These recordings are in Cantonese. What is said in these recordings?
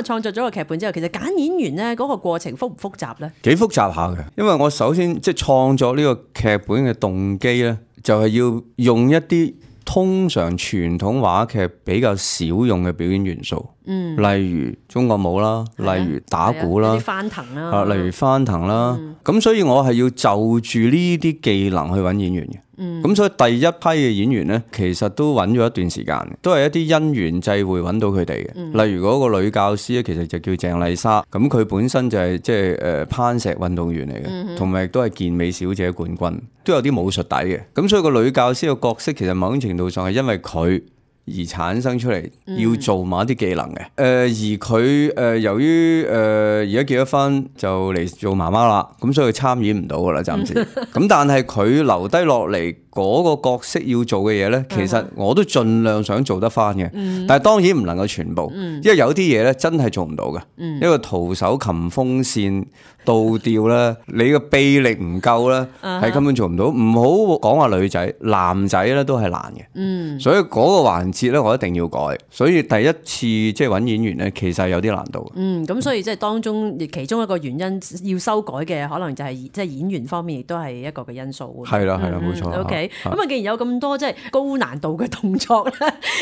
啊創作咗個劇本之後，其實揀演員咧嗰個過程複唔複雜咧？幾複雜下嘅，因為我首先即係創作呢個劇本嘅動機咧，就係要用一啲通常傳統話劇比較少用嘅表演元素，例如中國舞啦，例如打鼓啦，啲翻騰啦，例如翻騰啦，咁所以我係要就住呢啲技能去揾演員嘅。咁所以第一批嘅演員咧，其實都揾咗一段時間，都係一啲因緣際會揾到佢哋嘅。例如嗰個女教師咧，其實就叫鄭麗莎，咁佢本身就係即係攀石運動員嚟嘅，同埋亦都係健美小姐冠軍，都有啲武術底嘅。咁所以個女教師嘅角色其實某種程度上係因為佢而產生出嚟，要做某一啲技能嘅。而佢由於而家結咗婚就嚟做媽媽啦，咁所以佢參演唔到噶啦，暫時。咁但係佢留低落嚟嗰個角色要做嘅嘢呢，其實我都盡量想做得翻嘅，但係當然唔能夠全部，因為有啲嘢呢真係做唔到嘅。一個徒手擒風扇倒吊呢，你個臂力唔夠呢，係根本做唔到。唔好講話女仔，男仔呢都係難嘅。所以嗰個環節呢，我一定要改。所以第一次即係揾演員呢，其實係有啲難度。咁所以即係當中其中一個原因要修改嘅，可能就係即係演員方面亦都係一個嘅因素。係啦，冇錯。OK。咁啊，既然有咁多即係高難度嘅動作咧，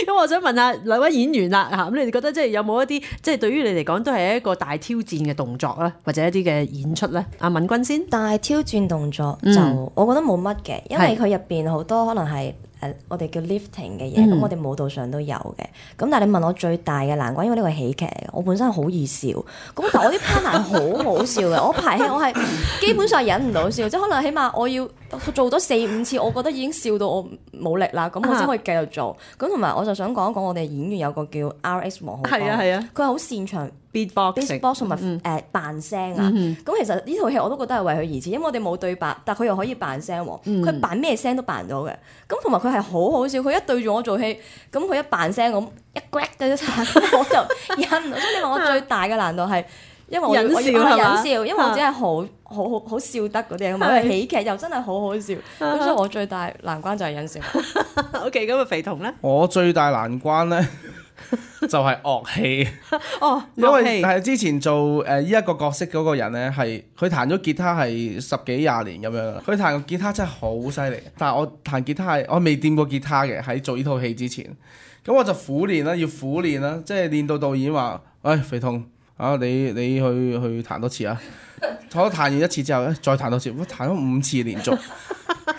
咁我想問下兩位演員啦嚇，咁你哋覺得即係有冇一啲即係對於你嚟講都係一個大挑戰嘅動作咧，或者一啲嘅演出咧？阿敏君先。大挑戰動作就我覺得冇乜嘅，因為佢入邊好多可能係我哋叫 lifting 嘅嘢，咁我哋舞蹈上都有嘅。咁但係你問我最大嘅難關，因為呢個係喜劇嚟嘅，我本身好易笑，咁但我啲 partner 好好笑嘅，我排戲我係基本上忍唔到笑，即係可能起碼我要做咗4-5次，我覺得已經笑到我冇力啦，咁我先可以繼續做。咁同埋我就想講一講我哋演員有個叫 RX 黃浩光，佢係好擅長beatbox 同埋扮聲啊。咁其實呢套戲我都覺得係為佢而設，因為我哋冇對白，但佢又可以扮聲喎，佢扮咩聲都扮到嘅。咁同埋佢係好好笑，佢一對住我做戲，咁佢一扮聲咁一 grab 嘅一我就忍唔到。所以你話我最大嘅難度係因為我要忍笑，因為我只係好笑得嗰啲，咁因為喜劇又真係好好笑，咁所以我最大難關就係忍笑。OK， 咁啊肥彤咧，我最大難關咧就係樂器。因為係之前做呢一個角色嗰個人咧，係佢彈咗吉他係10幾20年咁樣，佢彈個吉他真係好犀利。但係我彈吉他係我未掂過吉他嘅，喺做呢套戲之前，咁我就苦練啦，要苦練啦，即係練到導演話：肥彤啊，你去彈多次啊！我彈完一次之後咧，再彈多次，我彈咗5次連續。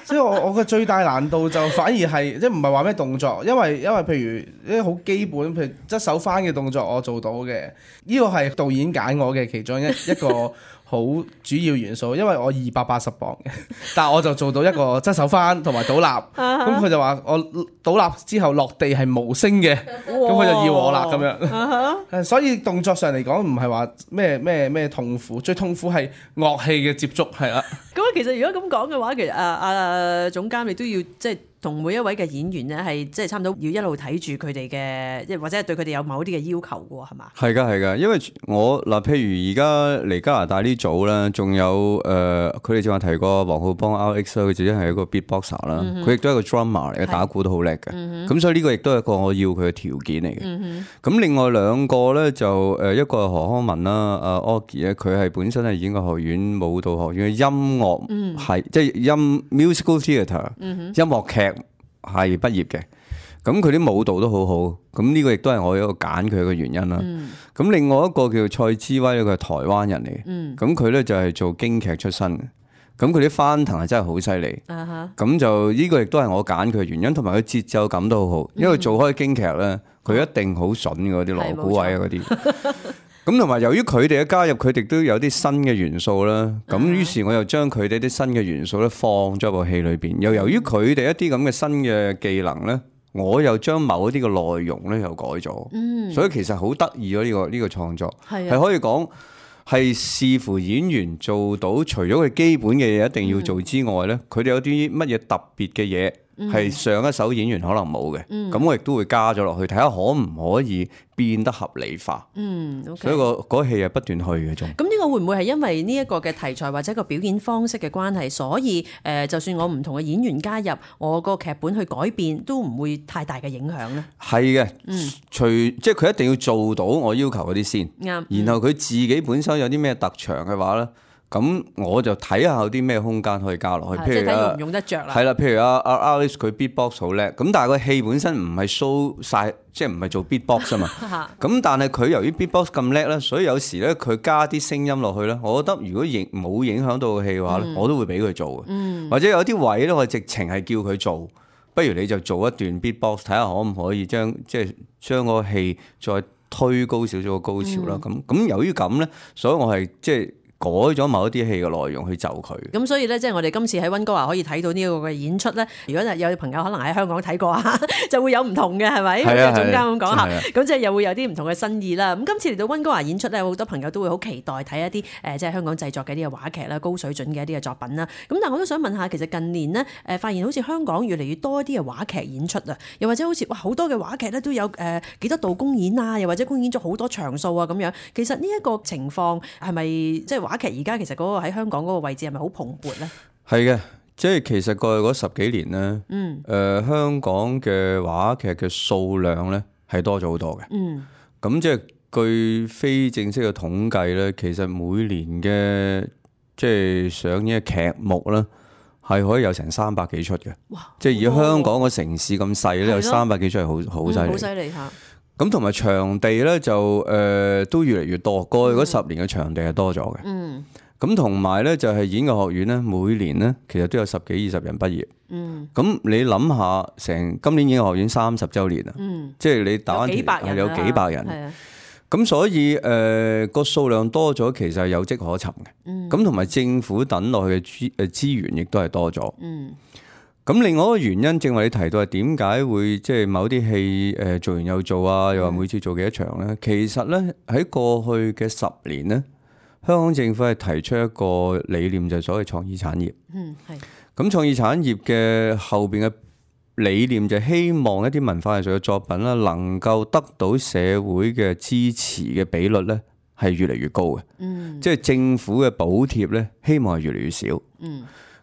即係我嘅最大難度就反而係即係唔係話咩動作，因為譬如啲好基本，譬如側手翻嘅動作我做到嘅，呢個係導演揀我嘅其中一個好主要元素，因為我280磅嘅，但係我就做到一個側手翻同埋倒立，咁佢就話我倒立之後落地係無聲嘅，咁佢就要我啦咁樣。所以動作上嚟講唔係話咩痛苦，最痛苦係樂器嘅接觸係啦。咁其實如果咁講嘅話，其實總監你都要即係同每一位嘅演員咧，係即係差唔多要一路睇住佢哋嘅，或者係對佢哋有某啲嘅要求嘅喎，係嘛？係㗎，因為我嗱，譬如而家嚟加拿大呢組咧，仲有佢哋正話提過黃浩邦 RX 佢自己係一個 beatboxer 啦，佢亦都係一個 drummer 嚟嘅，打鼓都好叻嘅。咁所以呢個亦都係一個我要佢嘅條件嚟嘅。咁另外兩個咧就一個係何康文啦，阿 Augie 咧，佢係本身係演藝學院舞蹈學院嘅音樂係即係musical theatre 音樂劇係畢業嘅，咁佢啲舞蹈都好好，咁呢個亦都係我一個揀佢嘅原因啦。咁另外一個叫蔡之威，佢係台灣人嚟嘅，咁佢咧就係做京劇出身嘅，咁佢啲翻騰係真係好犀利，咁就呢個亦都係我揀佢嘅原因，同埋佢節奏感都好好，因為做開京劇咧，佢一定好筍嗰啲鑼鼓位啊嗰啲。咁同埋由於佢哋嘅加入，佢哋都有啲新嘅元素啦。咁於是我又將佢哋啲新嘅元素咧放咗部戲裏邊。又由於佢哋一啲咁嘅新嘅技能咧，我又將某一啲嘅內容咧又改咗。所以其實好得意咯，呢個創作係可以講係視乎演員做到，除咗佢基本嘅嘢一定要做之外咧，佢哋有啲乜嘢特別嘅嘢係上一手演員可能冇嘅，咁我亦都會加咗落去，睇下可唔可以變得合理化。所以嗰戲係不斷去嘅仲。咁呢個會唔會係因為呢一個嘅題材或者個表演方式嘅關係，所以就算我唔同嘅演員加入，我個劇本去改變，都唔會太大嘅影響咧？係嘅，即係佢一定要做到我要求嗰啲先，然後佢自己本身有啲咩特長嘅話咧。咁我就睇下有啲咩空間可以加落去，譬如睇用唔用得着啦。係啦，譬如阿 Alice 佢 beatbox 好叻，咁但係個戲本身唔係 show 晒，即係唔係做 beatbox 啊嘛。咁但係佢由於 beatbox 咁叻咧，所以有時咧佢加啲聲音落去咧，我覺得如果冇影響到個戲嘅話咧，我都會俾佢做嘅。或者有啲位咧，我直情係叫佢做，不如你就做一段 beatbox，睇下可唔可以將個戲再推高少少個高潮啦。咁由於咁咧，所以我係即係改咗某一啲戲嘅內容去就佢。咁所以咧，即係我哋今次喺溫哥華可以睇到呢個嘅演出咧。如果有朋友可能喺香港睇過啊，就會有唔同嘅，係咪？係啊，總監咁講下，咁即係又會有啲唔同嘅新意啦。咁今次嚟到溫哥華演出咧，好多朋友都會好期待睇一啲即係香港製作嘅一啲嘅話劇啦，高水準嘅一啲嘅作品啦。咁但係我都想問下，其實近年呢，發現好似香港越嚟越多一啲嘅話劇演出啊，又或者好似好多嘅話劇咧都有幾多度公演啊，又或者公演咗好多場數啊咁樣。其實呢一個情況係咪即係話劇而家其實嗰個喺香港嗰個位置係咪好蓬勃咧？係嘅，即係其實過去嗰10幾年咧，香港嘅話劇嘅數量咧係多咗好多嘅。咁即係據非正式嘅統計咧，其實每年嘅即係上映嘅劇目咧係可以有成300幾出嘅。哇！即係以香港個城市咁細咧，有300幾出係好犀利。好犀利嚇！咁同埋場地咧就都越嚟越多，過去嗰10年嘅場地係多咗嘅。咁同埋咧就係演藝學院咧，每年咧其實都有10幾20人畢業。咁你諗下，成今年演藝學院30週年啊，即係你打翻條有幾百人。咁所以個數量多咗，其實係有跡可尋嘅。咁同埋政府等落去嘅資源亦都係多咗。咁另外一個原因，正話你提到係點解會即係某啲戲做完又做啊，又話每次做幾多場咧？其實咧喺過去嘅10年咧，香港政府係提出一個理念，就係所謂創意產業。咁創意產業嘅後邊嘅理念就係希望一啲文化藝術嘅作品啦，能夠得到社會嘅支持嘅比率咧係越嚟越高嘅。即係政府嘅補貼咧，希望係越嚟越少。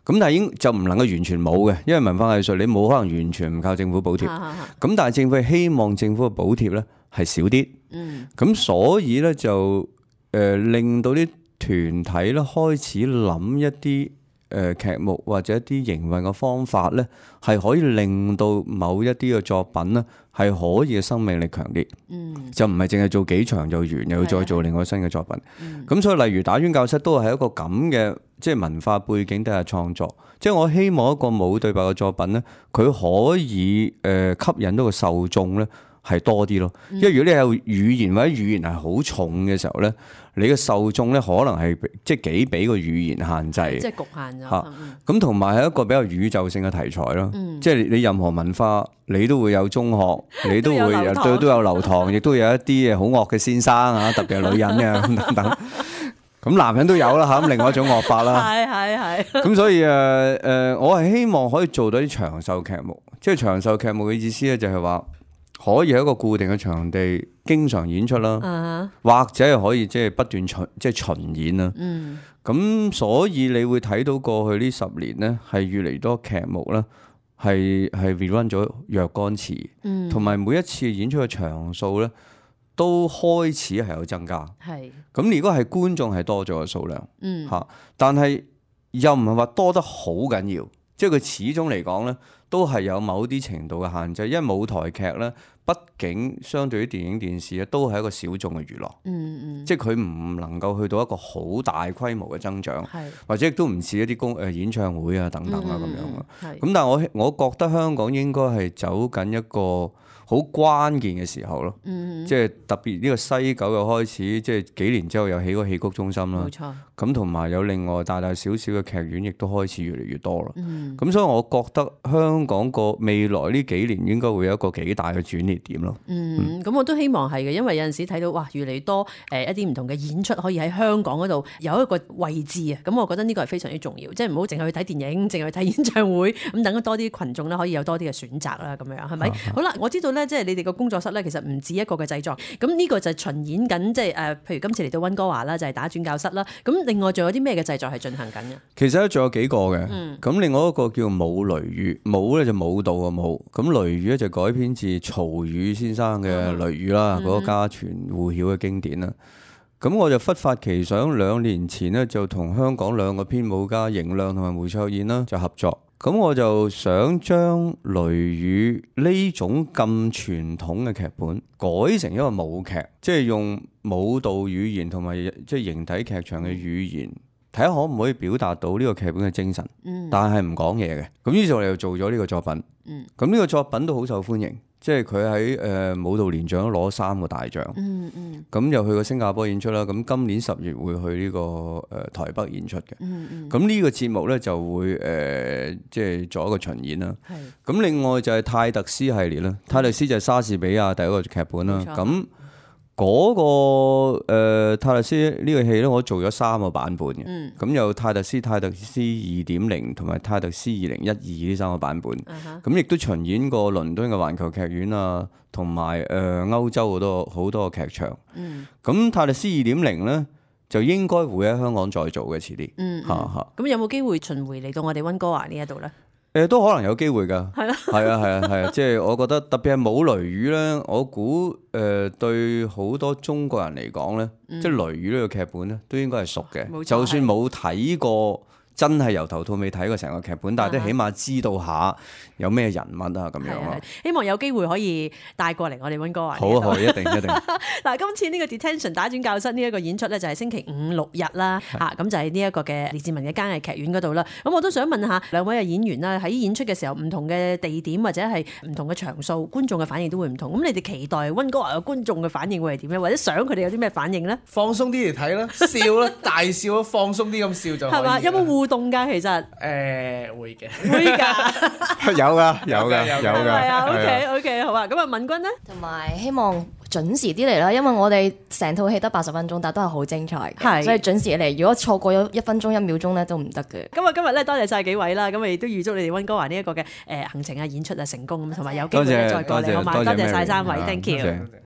咁但係已經就唔能夠完全冇嘅，因為文化藝術你冇可能完全唔靠政府補貼。咁但係政府係希望政府嘅補貼咧係少啲。咁所以咧就令到啲團體咧開始諗一啲劇目或者一啲營運嘅方法咧，係可以令到某一啲嘅作品咧係可以嘅生命力強啲。就唔係淨係做幾場就完，又要再做另外新嘅作品。咁所以例如打冤教室都係一個咁嘅即係文化背景底下創作。即係我希望一個冇對白嘅作品咧，佢可以吸引到個受眾咧係多啲咯。因為如果你有語言或者語言係好重嘅時候咧，你嘅受眾咧可能係即係幾俾個語言限制，即係局限咗。咁同埋係一個比較宇宙性嘅題材咯。即係你任何文化，你都會有中學，你都會都有流堂，亦都有一啲好惡嘅先生啊，特別係女人嘅等等。咁男人都有啦嚇，咁另外一種惡法啦。係。咁所以我係希望可以做到啲長壽劇目，即係長壽劇目嘅意思咧，就係話可以喺一個固定嘅場地經常演出啦，或者係可以即係不斷巡演啦。咁所以你會睇到過去呢10年咧，係越嚟越多劇目啦，係 rerun 咗若干次，同埋每一次演出嘅場數咧，都開始係有增加。咁如果係觀眾係多咗嘅數量，但係又唔係話多得好緊要，即係佢始終嚟講咧，都係有某啲程度嘅限制。因為舞台劇咧，畢竟相對於電影電視咧，都係一個小眾嘅娛樂。即係佢唔能夠去到一個好大規模嘅增長，或者亦都唔似一啲演唱會啊等等啊咁樣。咁但係我覺得香港應該係走緊一個好關鍵嘅時候咯。即係特別呢個西九又開始，即係幾年之後又起個戲曲中心啦。冇錯。咁同埋有另外大大小小嘅劇院，亦都開始越嚟越多啦。咁所以我覺得香港個未來呢幾年應該會有一個幾大嘅轉捩點咯。咁我都希望係嘅，因為有陣時睇到哇，越嚟越多一啲唔同嘅演出可以喺香港嗰度有一個位置啊。咁我覺得呢個係非常之重要，即係唔好淨係去睇電影，淨係去睇演唱會，咁等多啲群眾咧可以有多啲嘅選擇啦。咁樣係咪？好啦，我知道咧，即係你哋個工作室咧，其實唔止一個嘅製作。咁呢個就係巡演緊，即係譬如今次嚟到溫哥華啦，就係打轉教室啦。咁另外仲有啲咩嘅製作係進行緊嘅？其實咧仲有幾個嘅，咁另外一個叫舞雷雨，舞咧就舞蹈嘅舞，咁雷雨咧就改編自曹禺先生嘅雷雨啦，嗰個家傳戶曉嘅經典啦。咁我就忽發奇想，2年前呢，就同香港2個編舞家邢亮同埋梅卓燕啦就合作。咁我就想將雷雨呢種咁傳統嘅劇本改成一個舞劇，即係用舞蹈語言同埋即係形體劇場嘅語言，睇下可唔可以表達到呢個劇本嘅精神。但係唔講嘢嘅。咁於是我哋就做咗呢個作品。咁呢個作品都好受歡迎。即係佢喺舞蹈年獎都攞3個大獎，咁又去過新加坡演出啦。咁今年10月會去呢個台北演出嘅。咁呢個節目咧就會即係做一個巡演啦。咁另外就係泰特斯系列啦，泰特斯就係莎士比亞第一個劇本啦。咁嗰個泰特斯呢個戲咧，我做咗3個版本嘅。咁有泰特斯 2.0 同埋泰特斯2012呢3個版本。咁亦都巡演過倫敦嘅環球劇院啊，同埋歐洲好多個劇場。咁泰特斯 2.0 咧就應該會喺香港再做嘅遲啲。咁有冇機會巡迴嚟到我哋溫哥華呢一度咧？都可能有機會㗎，係咯，係啊，即係我覺得特別係舞雷雨咧，我估對好多中國人嚟講咧，即係雷雨呢個劇本咧，都應該係熟嘅，就算冇睇過。真係由頭到尾睇過成個劇本，但係都起碼知道下有咩人物啊咁樣咯。希望有機會可以帶過嚟我哋溫哥華。好，一定。嗱，今次呢個 Detention 打轉教室呢一個演出咧，就係星期5、6日啦。咁就係呢一個嘅列治文嘅嘉藝劇院嗰度啦。咁我都想問下兩位嘅演員啦，喺演出嘅時候，唔同嘅地點或者係唔同嘅場數，觀眾嘅反應都會唔同。咁你哋期待溫哥華嘅觀眾嘅反應會係點咧？或者想佢哋有啲咩反應咧？放鬆啲嚟睇啦，笑啦，大笑，放鬆啲咁笑就可以。係嘛？有冇互動㗎？其實會嘅，有㗎。係啊，OK，好啊。咁啊，敏君咧，同埋希望準時啲嚟啦，因為我哋成套戲得80分鐘，但都係好精彩嘅，所以準時嚟。如果錯過咗1分鐘1秒鐘咧，都唔得嘅。咁啊，今日咧多謝晒幾位啦，咁亦都預祝你哋溫哥華呢一個嘅行程啊、演出啊成功咁，同埋有機會再過嚟，好嘛？多謝晒3位，Thank you。